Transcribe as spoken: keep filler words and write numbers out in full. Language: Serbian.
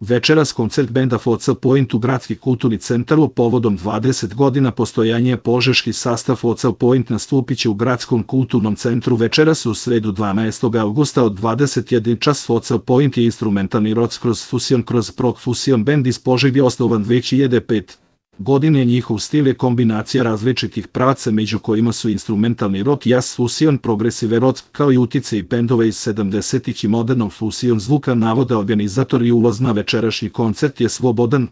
Večeras koncert benda Focal Point u Gradski kulturni centar povodom dvadeset godina postojanja požeški sastav Focal Point nastupiće u Gradskom kulturnom centru večeras u sredu dvanaestog avgusta od dvadeset jedan čas. Focal Point je instrumentalni rock kroz fusion kroz prog fusion bend iz Požege osnovan dve hiljade pete. godine. Njihov stil je kombinacija različitih pravaca među kojima su instrumentalni rock, jazz, fusion, progresive rock, kao i uticaj bendova iz sedamdesetih i modernog fusion zvuka. Navode organizatori. Ulaz na večerašnji koncert je slobodan.